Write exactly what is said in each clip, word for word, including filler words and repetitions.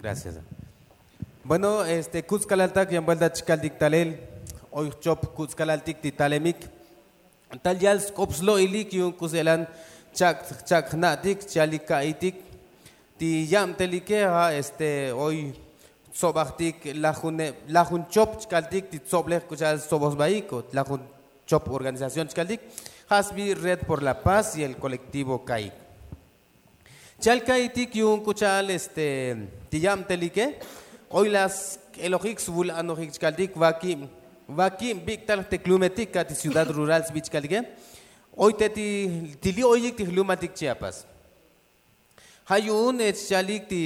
Gracias. Bueno, este kutzkalaltak yan buelta chkaltik talel. Oy jchop kutzkalaltik ti talemik tal yal sk'op slo'ilik yu'un k'uselan chak' chak' jna'tik chalik ka'itik. Ti yabtelike ja' este oy tsobajtik lajuneb lajun chop chkaltik ti tsoblej k'u cha'al tsoboj sbaik o lajun chop organización chkaltik. Ja' sbi red por la paz y el kolektivo kaik. Chal ka'itik yu'un k'u cha'al este ti yabtelike oy la sk'elojik svul anojik chkaltik vakib vakib bik'tal jteklumetik ka' ti ciudad rural sbi chkaltike. Oy te ti li' oyik ti jlumaltik chiapas. Ja' yu'un ech chalik ti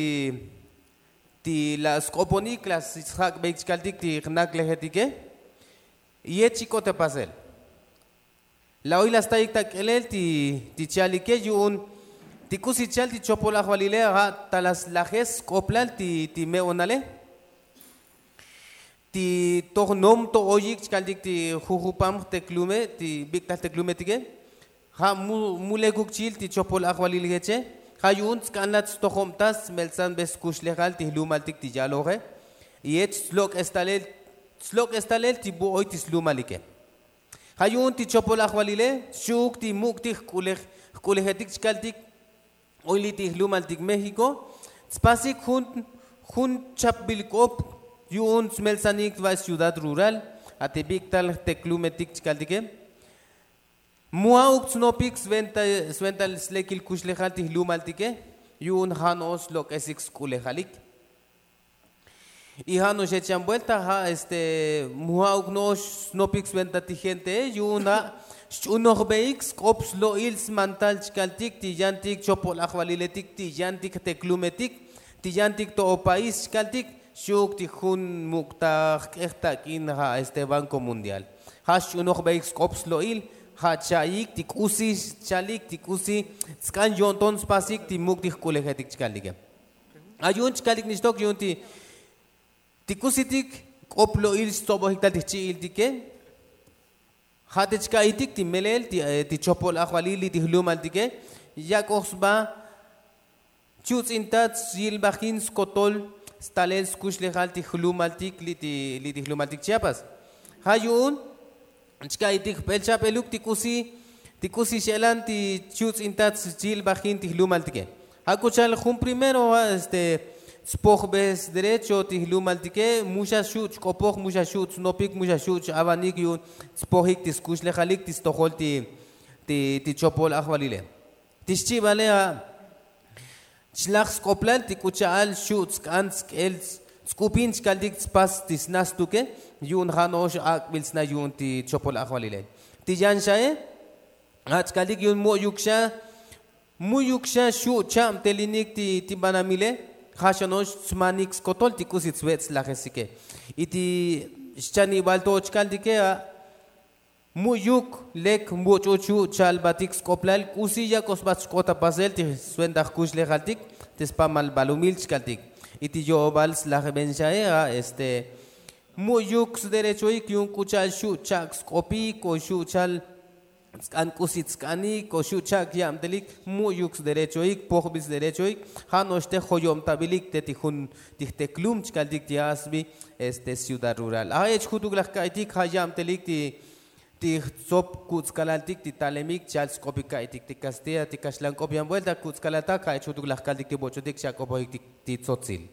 ti la sk'oponik la sjak'beik chkaltik ti jnaklejetike. Y ech chik'ot ta pasel la oy la staik ta k'elel ti chalike yu'un ti k'usi chal ti chopol ajvalile ja' ta la slajes sk'oplal ti me'onale. Ti toj nom to oyik chkaltik ti jujupam jteklume ti bik'tal jteklumetike. Ja' mu lekuk chil ti chopol ajvalil jeche ja' yu'un tsk'anlat stojobtas smeltsanbe skuxlejal ti jlumaltik ti yaloje. Y jech slok'es talel slok'es talel ti bu oy ti slumalike. Ja' yu'un ti chopol ajvalile xchi'uk ti muk' ti jk'ulejetik chkaltik oy li' ti jlumaltik méxiko tspasik jun jun chapbil k'op yu'un tsmeltsanik va' ciudad rural. A ti bik'tal jteklumetik chkaltike mu ja'uk tsnopik sventa slekil kuxlejal ti jlumaltike yu'un ja' no'ox slok'esik sk'ulejalik. Y ja' no'ox echan buelta ja' este mu ja'uk no'ox snopik sventa ti gentee yu'un ja' xch'unojbeik sk'op slo'il smantal chkaltik ti yantik chopol ajvaliletik ti yantik jteklumetik ti yantik to'o país chkaltik. Xchi'uk ti jun muk' ta jk'ej tak'in ja' este banko mundial ja' xch'unojbeik sk'op slo'il ja' cha'ik ti k'usi chalik ti k'usi tsk'an yo'nton spasik ti muk' ti jk'ulejetik chkaltike. A yu'un chkalik nixtok yu'un ti ti k'usitik k'op lo'il xtsobojik tal ti jchi'iltike. Ja' te chka'itik ti melel ti chopol ajvalil li' ti jlumaltike yak'oj sba. Chuts'intat syilbajin skotol stalel skuxlejal ti jlumaltik li' ti jlumaltik chiapas. Ja' yu'un chka'itik jb'el cha'b'eluk ti k'usi ti k'usi x'elan ti chuts'intat chilbajin ti jlumaltike. Ja' k'u cha'al jun primero ja' este tspojbe sderecho ti jlumaltike mu xa xu' chk'opoj mu xa xu' tsnopik mu xa xu' ch'avanik yu'un tspojik ti skuxlejalik ti stojol ti ti chopol ajvalile. Ti xchi'vale ja' chlaj sk'oplal ti k'u cha'al xu' tsk'an tsk'el tsk'upin chkaltik tspas ti sna stuke. Yu'un ja' no'ox ak'bil sna yu'un ti chopol ajvalile ti yan xae. Ja' chkaltik yu'un mu'yuk xa mu'yuk xa xu' cha'btelinik ti banamile. Ja' xa no'ox tsmanik skotol ti k'usi tsvet' slajesike. Y ti xchanibal to chkaltike ja' mu'yuk lek much'u chu' cha'lbatik sk'oplal k'usi yak'o sba chk'ot ta pasel ti sventa jkuxlejaltik ti spamal balumil chkaltik. Y ti yo'obal slajben xae ja' este mu'yuk sderechoik yu'un k'u cha'al xu' cha'k sk'opik o xu' cha'l tsk'an k'usi tsk'anik o xu' cha'k yabtelik mu'yuk sderechoik pojbil sderechoik. Ja' no'ox te joyobtabilik te ti jun ti jteklum chkaltik ti ja' sbi este ciudad rural a jech jutuk laj ka'itik ja' yabtelik ti ti jtsop kutzkalaltik ti talemik chal sk'opik ka'itik ti kastilla ti kaxlank'op yan buelta kutzkalaltak ja' jech jutuk laj kaltik ti boch'otik chak'opojik ti tsotzil.